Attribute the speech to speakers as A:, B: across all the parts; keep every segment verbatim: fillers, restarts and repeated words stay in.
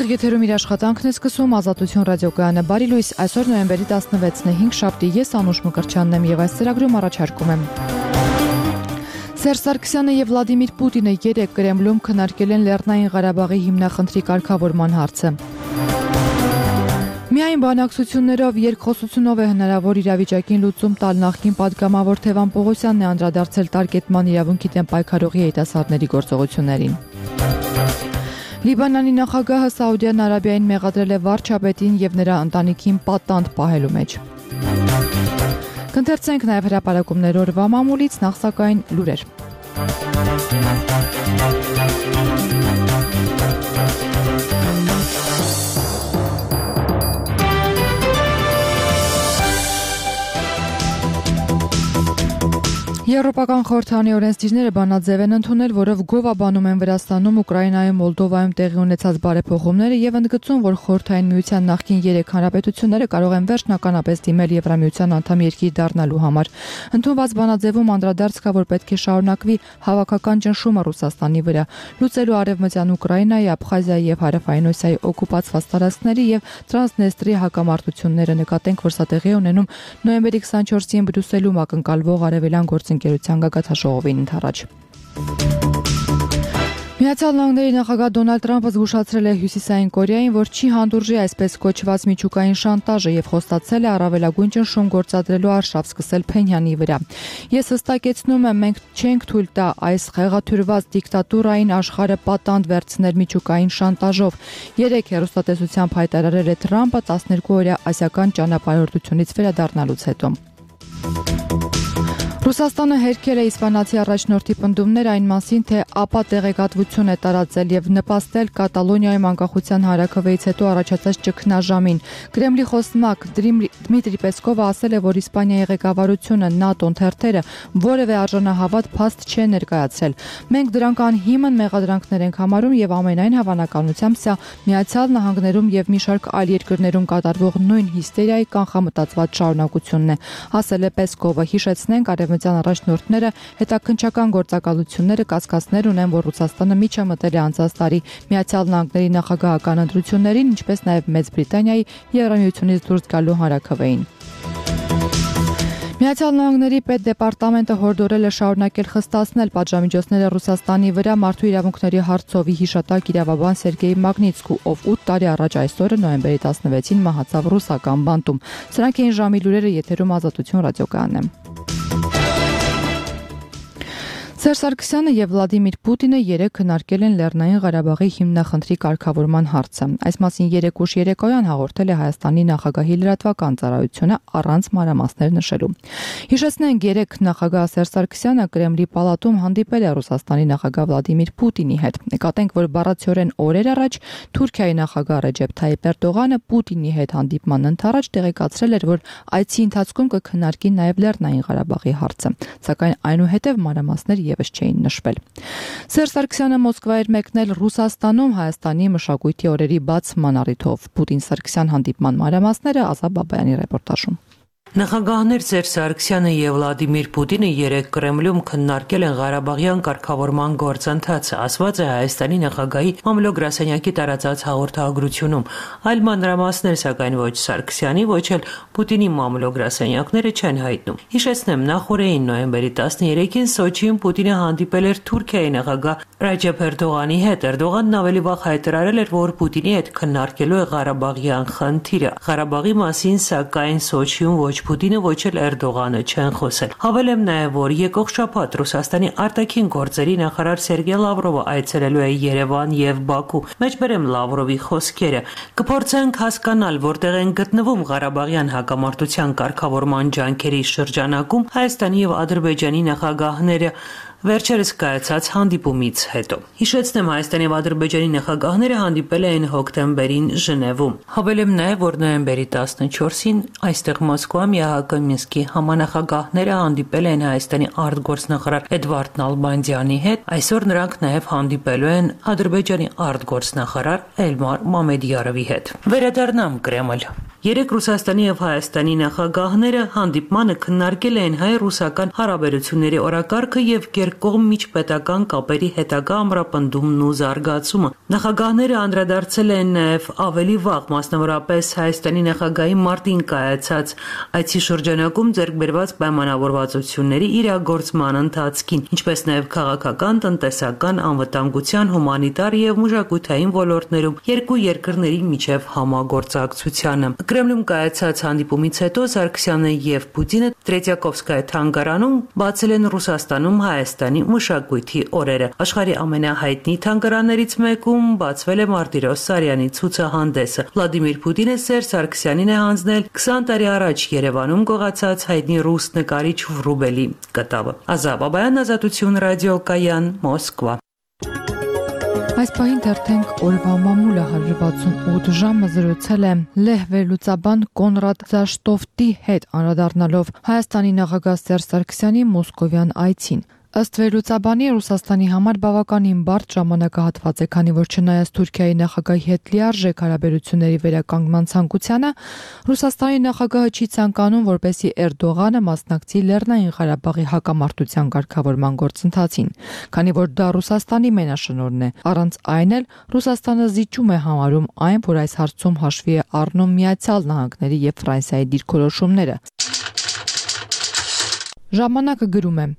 A: Ուղիղ եթերում իր աշխատանքն է սկսում Ազատություն ռադիոկայանը։ Բարի լույս, այսօր նոյեմբերի տասնվեցն է, հինգ շաբթի, ես Անուշ Մկրտչյանն եմ եւ այս ծրագրում առաջարկում եմ։ Սերժ Սարգսյանը եւ Վլադիմիր Պուտինը երեկ Կրեմլում քննարկել են Լեռնային Ղարաբաղի հիմնախնդրի կարգավորման հարցը։ Միայն բանակցություններով, երկխոսությունով է հնարավոր իրավիճակին լուծում տալ նախկին պատգամավոր Թևան Պողոսյանն է անդրադարձել տարկետման իրավունքի դեմ պայքարողի երիտասարդների գործողություններին։ Լիբանանի նախագահը Սաուդյան Արաբիային մեղադրել է վարչապետին եւ նրա ընտանիքին պատանդ պահելու մեջ։ Կընթերցենք նաեւ հրապարակումներ օրվա մամուլից, նախ սակայն լուրեր։ Եվրոպական խորհրդանի օրենսդիրները բանաձև են ընդունել, որով գովաբանում են Վրաստանում, Ուկրաինայում, Մոլդովայում տեղի ունեցած բարեփոխումները եւ ընդգծում, որ խորհրդային միության նախկին երեք հանրապետությունները կարող են վերջնականապես դիմել Եվրամիության անդամ երկիր դառնալու համար։ Ընդունված բանաձևում անդրադարձ կա, որ պետք է շարունակվի հավաքական ճնշումը Ռուսաստանի վրա, լուծելու արևմտյան Ուկրաինայի, Աբխազիայի եւ Հարավային Օսիայի օկուպացված տարածքների եւ Տրանսնեստրի հակամարտությունները, նկատենք, որ սա տեղի ունենում նոյեմբերի քսանչորսին Բրյուսելում ակնկալվող արևելյան գործընկերության գագաթնաժողովին ընդառաջ։ Միացյալ Նահանգների նախագահ Դոնալդ Թրամփը զգուշացրել է Հյուսիսային Կորեային, որ չի հանդուրժի այսպես կոչված միջուկային շանտաժը եւ խոստացել է առավելագույն ճնշում գործադրելու արշավ սկսել Փենյանի վրա։ Ես հստակեցնում եմ, մենք չենք թույլ տա այս խեղաթյուրված դիկտատուրային աշխարհը պատանդ վերցնել միջուկային շանտաժով։ Երեք հեռուստատեսությամբ հայտարարել է Թրամփը տասներկու օրյա ասիական ճանապարհորդությունից վերադառնալուց հետո։ Ռուսաստանը հերքել է իսպանացի առաջնորդի պնդումներ այն մասին, թե ԱՊԱ տեղեկատվություն է տարածել եւ նպաստել Կատալոնիայում անկախության հարաքվեից հետո առաջացած ճգնաժամին։ Կրեմլի խոսնակ Դմիտրի Պեսկովը ասել է, որ Իսպանիայի ղեկավարությունը, ՆԱՏՕ-ն, թերթերը որևէ արժանահավատ փաստ չեն ներկայացրել։ Մենք դրանք անհիմն մեղադրանքներ ենք համարում եւ ամենայն հավանականությամբ սա Միացյալ Նահանգներում եւ մի շարք այլ երկրներում կատարվող նույն հիստերիայի կանխամտածված շարունակությունն է, ասել է Պեսկովը։ Հիշեցնենք, արևմտյան առաջնորդները հետաքննչական գործակալությունները կասկածներ ունեն, որ Ռուսաստանը միջամտել է անցած տարի Միացյալ Նահանգների նախագահական ընտրություններին, ինչպես նաև Մեծ Բրիտանիայի Եվրամիությունից դուրս գալու հարաքվեին։ Միացյալ Նահանգների պետդեպարտամենտը հորդորել է շարունակել խստացնել պատժամիջոցները Ռուսաստանի վրա մարդու իրավունքների հարցով հիշատակ իրավաբան Սերգեյ Մագնիտսկու, ով ութ տարի առաջ այսօրը նոյեմբերի տասնվեցին մահացավ ռուսական բանտում։ Սրանք էին ժամի լուրերը, եթերում Ազատություն ռադիոկայանն է։ Սերժ Սարգսյանը եւ Վլադիմիր Պուտինը երեկ քննարկել են Լեռնային Ղարաբաղի հիմնախնդրի կարգավորման հարցը։ Այս մասին երեկ ուշ երեկոյան հաղորդել է Հայաստանի նախագահի լրատվական ծառայությունը առանց մանրամասներ նշելու։ Հիշեցնենք, երեկ նախագահ Սերժ Սարգսյանը Կրեմլի պալատում հանդիպել է Ռուսաստանի նախագահ Վլադիմիր Պուտինի հետ։ Նկատենք, որ բառացիորեն օրեր առաջ Թուրքիայի նախագահ Ռեջեփ Թայիպ Էրդողանը Պուտինի հետ հանդիպման ընթരാճ տեղեկացրել էր, որ այցի ընթացքում կքննարկի նաեւ Լեռնային Ղարաբաղի հարցը, սակայն այնուհետև մանրամասներ եւս չէին նշվել։ Սերժ Սարգսյանը Մոսկվա էր մեկնել Ռուսաստանում Հայաստանի մշակույթի օրերի բացման առիթով։ Պուտին-Սարգսյան հանդիպման մանրամասները Ազատ Բաբայանի ռեպորտաժում։
B: Նախագահներ Սերժ Սարգսյանը եւ Վլադիմիր Պուտինը երեկ Կրեմլում քննարկել են Ղարաբաղյան կարգավորման գործընթացը, ասված է Հայաստանի նախագահի մամլո գրասենյակի տարածած հաղորդագրությունում։ Այլ մանրամասներ, սակայն ոչ Սարգսյանի, ոչ էլ Պուտինի մամլո գրասենյակները չեն հայտնում։ Հիշեցնեմ, նախորդին նոյեմբերի տասներեքին Սոչիում Պուտինը հանդիպել էր Թուրքիայի նախագահ Ռեջեփ Էրդողանի հետ։ Էրդողանն ավելի վաղ հայտարարել էր, որ Պուտինի հետ քննարկելու է Ղարաբաղյան խնդիրը։ Ղարաբաղի մասին, սակայն Սոչիում ոչ Պուտինը, ոչ էլ Էրդողանը չեն խոսել։ Հավելեմ նաև, որ եկող շաբաթ Ռուսաստանի արտաքին գործերի նախարար Սերգեյ Լավրովը այցելելու է Երևան եւ Բաքու։ Մեջբերեմ Լավրովի խոսքերը. «Կփորձենք հասկանալ, որտեղ են գտնվում Ղարաբաղյան հակամարտության կարգավորման ջանքերի շրջանակում Հայաստանի եւ Ադրբեջանի նախագահները վերջերս կայացած հանդիպումից հետո»։ Հիշեցնեմ, Հայաստանի եւ Ադրբեջանի նախագահները հանդիպել էին հոկտեմբերին Ժնևում։ Հավելեմ նաև, որ նոյեմբերի տասնչորսին այստեղ Մոսկվայում ԵԱՀԿ Մինսկի համանախագահները հանդիպել են Հայաստանի արտգործնախարար Էդվարդ Նալբանդյանի հետ։ Այսօր նրանք նաև հանդիպելու են Ադրբեջանի արտգործնախարար Էլմար Մամեդյարովի հետ։ Վերադառնամ Կրեմլ։ Երեք Ռուսաստանի եւ Հայաստանի նախագահները հանդիպմանը քննարկել են հայ-ռուսական հարաբերությունների օրակարգը եւ երկկողմ միջպետական կապերի հետագա ամրապնդումն ու զարգացումը։ Նախագահները անդրադարձել են նաեւ ավելի վաղ, մասնավորապես Հայաստանի նախագահի մարտին կայացած այցի շրջանակում ձեռք բերված պայմանավորվածությունների իրագործման ընթացքին, ինչպես նաեւ քաղաքական, տնտեսական, անվտանգության, հումանիտար եւ մշակութային ոլորտներում երկու երկրների միջև համագործակցությանը։ Կրեմլում կայացած հանդիպումից հետո Սարգսյանը եւ Պուտինը Տրետյակովսկայա թանգարանում բացել են Ռուսաստանում Հայաստանի մշակույթի օրերը։ Աշխարհի ամենահայտնի թանգարաններից մեկում բացվել է Մարտիրոս Սարյանի ցուցահանդեսը։ Վլադիմիր Պուտինը Սերժ Սարգսյանին է հանձնել քսան տարի առաջ Երևանում գողացած հայտնի ռուս նկարիչ Վրուբելի կտավը։ Ազատ Բաբայան, Ազատություն ռադիոկայան, Մոսկվա։
A: Այս պահին թերթենք օրվա մամուլը հարյուր վաթսունութ ժամը զրուցել է Լեհ վերլուծաբան Կոնրադ Զաշտովտի հետ անդրադառնալով Հայաստանի նախագահ Սերժ Սարգսյանի մոսկովյան այցին։ Ըստ վերլուծաբանի Ռուսաստանի համար բավականին բարդ ժամանակահատված է, քանի որ չնայած Թուրքիայի նախագահի հետ լիարժեք հարաբերությունների վերականգնման ցանկությանը, Ռուսաստանի նախագահը չի ցանկանում, որպեսզի Էրդողանը մասնակցի Լեռնային Ղարաբաղի հակամարտության ղեկավարման գործընթացին, քանի որ դա Ռուսաստանի մենաշնորհն է։ Առանց այն էլ Ռուսաստանը զիջում է համարում այն, որ այս հարցում հաշվի է առնում Միացյալ Նահանգների եւ Ֆրանսիայի դիրքորոշումները։ Ժամանակը գրում է.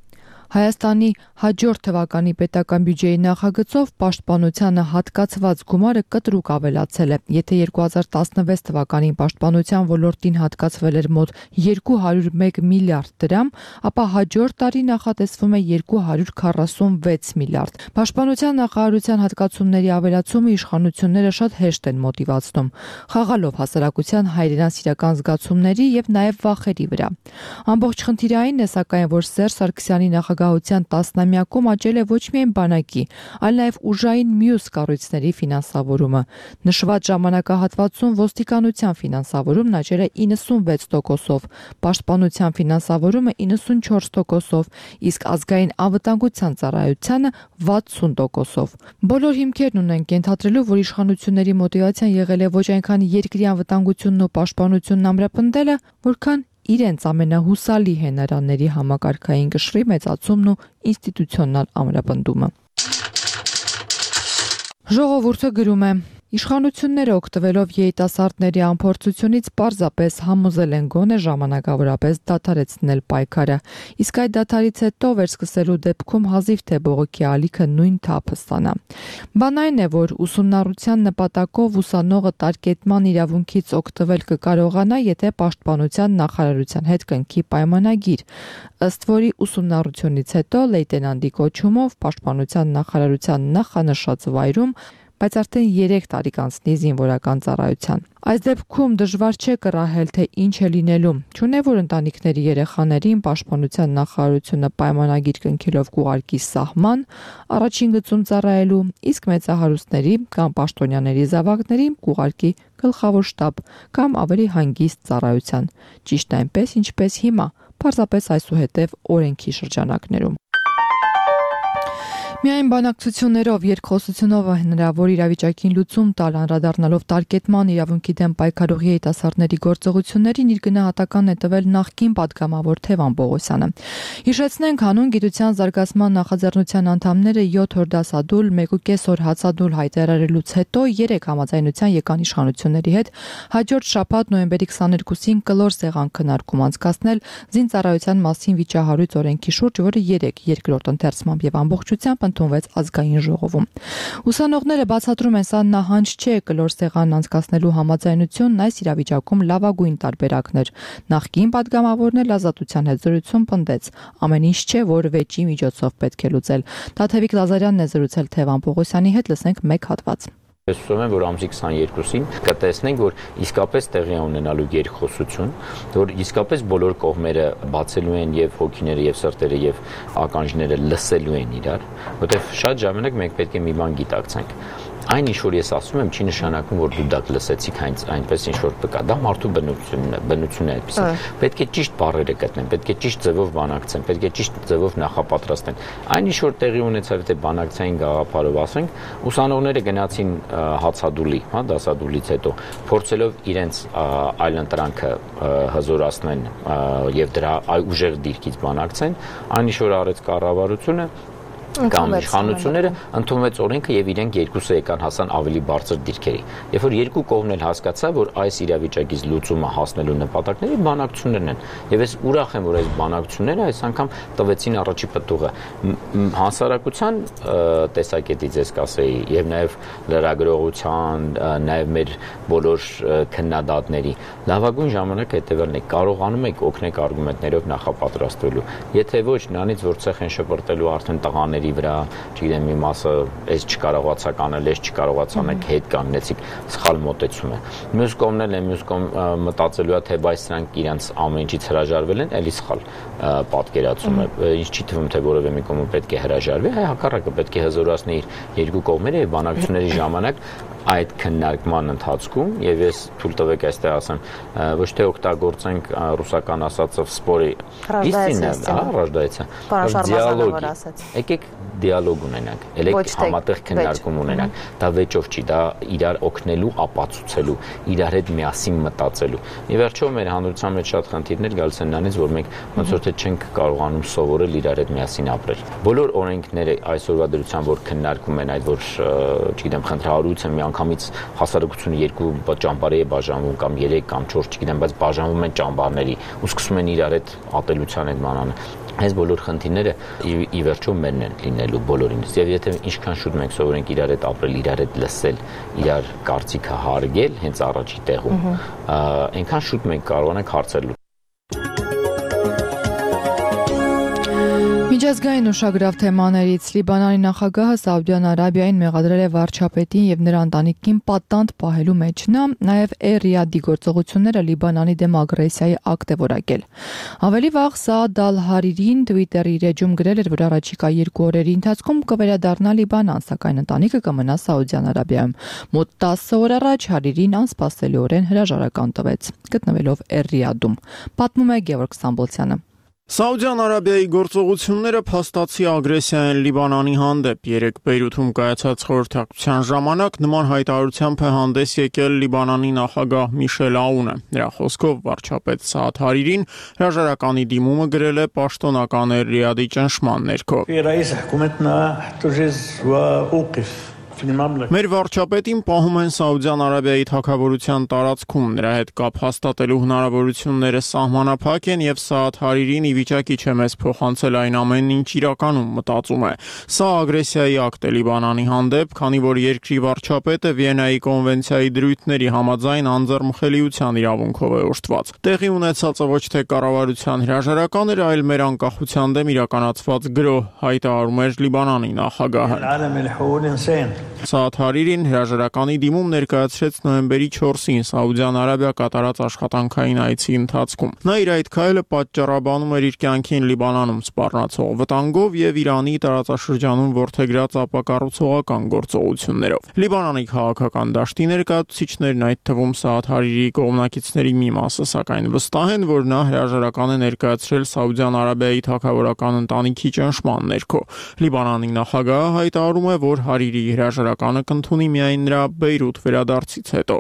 A: Հայաստանի հաջորդ թվականի պետական բյուջեի նախագծով պաշտպանությանը հատկացված գումարը կտրուկ ավելացել է։ Եթե երկու հազար տասնվեց թվականին պաշտպանության ոլորտին հատկացվել էր մոտ երկու հարյուր մեկ միլիարդ դրամ, ապա հաջորդ տարի նախատեսվում է երկու հարյուր քառասունվեց միլիարդ։ Պաշտպանության նախարարության հատկացումների ավելացումը իշխանությունները շատ հեշտ են մոտիվացնում, խաղալով հասարակության հայրենասիրական զգացումների եւ նաեւ վախերի վրա։ Ամբողջ խնդիրը այն է, սակայն, որ Սերժ Սարգսյանի նախագահության տասնամյակում աճել է ոչ միայն բանակի, այլ նաև ուժային մյուս կառույցների ֆինանսավորումը։ Նշված ժամանակահատվածում ոստիկանության ֆինանսավորումն աճել է իննսունվեց տոկոսով, պաշտպանության ֆինանսավորումը իննսունչորս տոկոսով, իսկ ազգային անվտանգության ծառայությանը վաթսուն տոկոսով։ Բոլոր հիմքերն ունենք ենթադրելու, որ իշխանությունների մոտիվացիան եղել է ոչ այնքան երկրի անվտանգությունն ու պաշտպանությունն ամրապնդելը, որքան իրենց ամենահուսալի հենարանների համակարգային կշռի մեծացումն ու ինստիտուցիոնալ ամրապնդումը։ Ժողովուրդը գրում է. Իշխանությունները օգտվելով երիտասարդների անփորձությունից պարզապես համոզել են գոնե ժամանակավորապես դադարեցնել պայքարը, իսկ այդ դադարից հետո վերսկսելու դեպքում հազիվ թե բողոքի ալիքը նույն թափը ստանա։ Բան այն է, որ ուսումնառության նպատակով ուսանողը տարկետման իրավունքից օգտվել կկարողանա, եթե պաշտպանության նախարարության հետ կնքի պայմանագիր, ըստ որի ուսումնառությունից հետո լեյտենանտի կոչումով պաշտպանության նախարարության նախանշած վայրում բայց արդեն երեք տարի կանցնի զինվորական ծառայության։ Այս դեպքում դժվար չէ կռահել, թե ինչ է լինելու։ Չունե որ ընտանիքների երեխաներին պաշտպանության նախարարությունը պայմանագիր կնքելով կուղարկի սահման, առաջին գծում ծառայելու, իսկ մեծահարուստների կամ պաշտոնյաների զավակներին կուղարկի գլխավոր շտաբ կամ ավելի հանգիստ ծառայության։ Ճիշտ այնպես, ինչպես հիմա, պարզապես այսուհետև օրենքի շրջանակներում։ Միայն բանակցություններով, երկխոսությունով հնարավոր իրավիճակին լուծում տալ, անդրադառնալով տարկետման իրավունքի դեմ պայքարող երիտասարդների գործողություններին իր գնահատականն է տվել նախկին պատգամավոր Թևան Պողոսյանը։ Հիշեցնենք, հանուն գիտության զարգացման նախաձեռնության անդամները յոթ օր դասադուլ, մեկ ու կես օր հացադուլ հայտարարելուց հետո երեք համաձայնության եկան իշխանությունների հետ հաջորդ շաբաթ նոյեմբերի քսաներկուսին կլոր սեղան քննարկում անցկացնել զինծառայության մասին վիճահարույց օրենքի շուրջ, որը երեք երկրորդ ընթերցմամբ եւ ամբողջությամբ ընդունվեց ազգային ժողովում։ Ուսանողները բացատրում են, սա նահանջ չէ, կլոր սեղան անցկացնելու համաձայնությունն այս իրավիճակում լավագույն տարբերակն էր։ Նախկին պատգամավորն էլ Ազատության հետ զրույցում պնդեց. ամեն ինչ չէ, որ վեճի միջոցով պետք է լուծել։ Տաթևիկ Լազարյանն է զրուցել Թևան Պողոսյանի հետ, լսենք մեկ հատված։
C: Ես ուզում եմ, որ ամսի քսաներկուսին կտեսնենք, որ իսկապես տեղի ունենալու երկխոսություն, որ իսկապես բոլոր կողմերը բացելու են եւ հոգիները եւ սրտերը եւ ականջները լսելու են իրար, որտեղ շատ ժամանակ մենք պետք է մի բան գիտակցենք։ Այն ինչ որ ես ասում եմ, չի նշանակում, որ դու դա լսեցիք այնպես ինչ որ բկա, դա մարդու բնությունն է, բնությունն է այդպես։ Պետք է ճիշտ բառերը գտնեն, պետք է ճիշտ ձևով բանակցեն, պետք է ճիշտ ձևով նախապատրաստեն։ Այն ինչ որ տեղի ունեցավ, թե բանակցային գաղափարով ասենք, ուսանողները գնացին հացադուլի, հա, դասադուլից հետո, փորձելով իրենց այլընտրանքը հզորացնեն եւ դրա ուժեղ դիրքից բանակցեն, այն ինչ որ արեց կառավարությունը կամ իշխանությունները ընդունվեց օրենքը եւ իրենք երկուսը եկան հասան ավելի բարձր դիրքերի։ Երբ որ երկու կողմն էլ հասկացա, որ այս իրավիճակից լուծումը հասնելու նպատակները բանակցություններն են։ Եվ ես ուրախ եմ, որ այս բանակցությունները այս անգամ տվեցին առաջի պտուղը հասարակության տեսակետից, ես կասեի, եւ նաեւ լրագրողության, նաեւ մեր բոլոր քննադատների լավագույն ժամանակը հետեւելն է։ Կարողանում եք օգնել արգումենտներով նախապատրաստվելու։ Եթե ոչ, նրանից որ ցեխ են շպրտելու արդեն տղաներ վրա, չգիտեմ, մի մասը այս չկարողացաք անել, այս չկարողացանք հետ կանգնեցիք, սխալ մոտեցում է։ Մյուս կողմն էլ է, մյուս կողմ մտածելու է, թե բայց սրանք իրենց ամեն ինչից հրաժարվել են, էլի սխալ պատկերացում է։ Ինչ չի թվում, թե որևէ մի կողմ պետք է հրաժարվի, հայ հակառակը պետք է հզորացնի իր երկու կողմերը եւ բանակցությունների ժամանակ այդ քննարկման ընթացքում եւ ես թույլ տվեք այստեղ ասեմ, ոչ թե օգտագործենք ռուսական ասածով սպորի истинно, հա, ռождается, դիալոգ։ Եկեք դիալոգ ունենանք, ելեք համատեղ քննարկում ունենանք։ Դա վեճով չի, դա իրար օգնելու, ապացուցելու, իրար հետ միասին մտածելու։ Ի վերջո մեր հանրության մեջ շատ խնդիրներ գալիս են նրանից, որ մենք ոնց որ թե չենք կարողանում սովորել իրար հետ միասին ապրել։ Բոլոր օրենքները այսօրվա դրությամբ որ քննարկում են այդ որ, չգիտեմ, խնդրահարույց են մի անգամից հասարակությունը երկու ճամբարի է բաժանվում կամ երեք կամ չորս, չգիտեմ, բայց բաժանվում են ճամբարների ու սկսում են իրար հետ ատելության այդ մանանը։ Այս բոլոր խնդիրները ի վերջո մերն են լինելու բոլորինս։ Եվ եթե ինչքան շուտ մենք սովորենք իրար հետ ապրել, իրար հետ լսել, իրար կարծիքը հարգել հենց առաջի տեղում, այնքան շուտ մենք կարողանանք հարցեր լուծել։
A: Միջազգային ուշագրավ թեմաներից Լիբանանի նախագահը Սաուդյան Արաբիային մեղադրել է վարչապետին եւ նրա ընտանիքին պատանդ պահելու մեջ։ Նա նաեւ Էր-Ռիադի գործողությունները Լիբանանի դեմ ագրեսիայի ակտ է որակել։ Ավելի վաղ Սաադ Ալ-Հարիրին Twitter-ի իր էջում գրել էր, որ առաջիկա երկու օրերի ընթացքում կվերադառնա Լիբանան, սակայն ընտանիքը կմնա Սաուդյան Արաբիայում։ Մոտ տասը օր առաջ Հարիրին անսպասելիորեն հրաժարական տվեց, գտնվելով Էր-Ռիադում։ Պատմում է Գևորգ Ստամբոլցյանը։
D: Սաուդյան Արաբիայի գործողությունները փաստացի ագրեսիա են Լիբանանի հանդեպ։ Երեք Բեյրութում կայացած խորհրդակցության ժամանակ նման հայտարարությամբ է հանդես եկել Լիբանանի նախագահ Միշել Աունը։ Նրա խոսքով վարչապետ Սաադ Հարիրին հրաժարականի դիմումը գրել է պաշտոնական Էր-Ռիադի ճնշման ներքո։ Մեր վարչապետին պահում են Սաուդյան Արաբիայի թագավորության տարածքում, նրա հետ կապ հաստատելու հնարավորությունները սահմանափակ են եւ Սաադ Հարիրին ի վիճակի չէ մեզ փոխանցել այն ամենն, ինչ իրականում մտածում է։ Սա ագրեսիայի ակտ է Լիբանանի հանդեպ, քանի որ երկրի վարչապետը Վիեննայի կոնվենցիայի դրույթների համաձայն անձեռնմխելիության իրավունքով է օժտված։ Տեղի ունեցածը ոչ թե կառավարության հրաժարական էր, այլ մեր անկախության դեմ իրականացված գրոհ, հայտարարում էր Լիբանանի նախագահը։ Սաադ Հարիրին հրաժարականի դիմում ներկայացրեց նոյեմբերի չորսին Սաուդյան Արաբիա կատարած աշխատանքային այցի ընթացքում։ Նա իր այդ քայլը պատճառաբանում էր իր կյանքին Լիբանանում սպառնացող վտանգով եւ Իրանի տարածաշրջանում որդեգրած ապակառուցողական գործողություններով։ Լիբանանի քաղաքական դաշտի ներկայացուցիչներն, այդ թվում Սաադ Հարիրիի կողմնակիցների մի մասը, սակայն վստահ են, որ նա հրաժարական է ներկայացրել Սաուդյան Արաբիայի թագավորական ընտանիքի ճնշման ներքո։ Լիբանանի նախագահը հայտարարում է, որ Հարիրիի հրաժարականը կընդունի միայն նրա Բեյրութ վերադարձից հետո։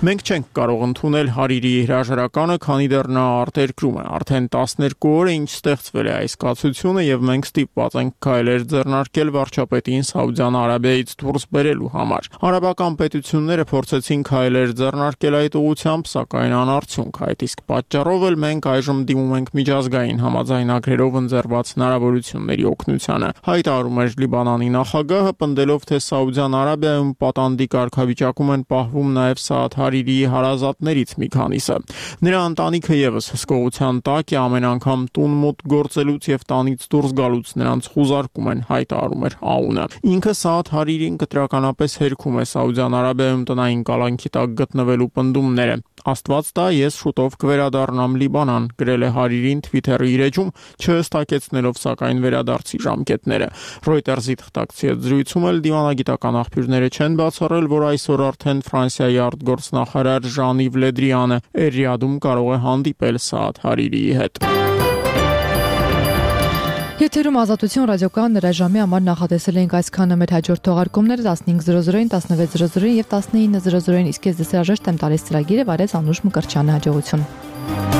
D: Մենք չենք կարող ընդունել Հարիրիի հրաժարականը, քանի դեռ նա արտերկրում է։ Արդեն տասներկու օր է ինչ ստեղծվել է այս կացությունը եւ մենք ստիպված ենք քայլեր ձեռնարկել վարչապետին Սաուդյան Արաբիայից դուրս բերելու համար։ Արաբական պետությունները փորձեցին քայլեր ձեռնարկել այդ ուղղությամբ, սակայն անարդյունք։ Այդ իսկ պատճառով էլ մենք այժմ դիմում ենք միջազգային համաձայնագրերով ընձեռված հնարավորությունների օգնությանը։ Հայտարարում էր Լիբանանի նախագահը, պնդելով, թե Սաուդյան Արաբիայում պատանդի կարգավիճակում են պահվում նաև Սաադ Հարիրիի հարազատներից մի քանիսը։ Նրա ընտանիքը եւս հսկողության տակ է, ամեն անգամ տուն մոտ գործելուց եւ տանից դուրս գալուց նրանց խուզարկում են, հայտարարում էր Աունը։ Ինքը Սաադ Հարիրին կտրականապես հերքում է Սաուդյան Արաբիայում տնային կալանքի տակ գտնվելու պնդումները։ Աստված տա, ես շուտով կվերադառնամ Լիբանան, գրել է Հարիրին Twitter-ի իր էջում, չհստակեցնելով սակայն վերադարձի ժամկետները։ Reuters-ի թղթակցի հետ հարցազրույցում էլ դիվանագիտական աղբյուրները չեն բացառել, որ այսօր արդեն Ֆրանսիայի արտգործնախարար Ժան-Իվ Լե Դրիանը Էրիադում կարող է հանդիպել Սաադ Հարիրիի հետ։
A: Եթերում Ազատություն ռադիոկայան նրա ժամի համար նախատեսել ենք այսքանը, մեր հաջորդ թողարկումները տասնհինգ զրո զրոին, տասնվեց զրո զրոին եւ տասնինը զրո զրոին, իսկ ես դες հրաժեշտ եմ տալիս ծրագիրը, վարեց Անուշ Մկրտչյանը, հաջողություն։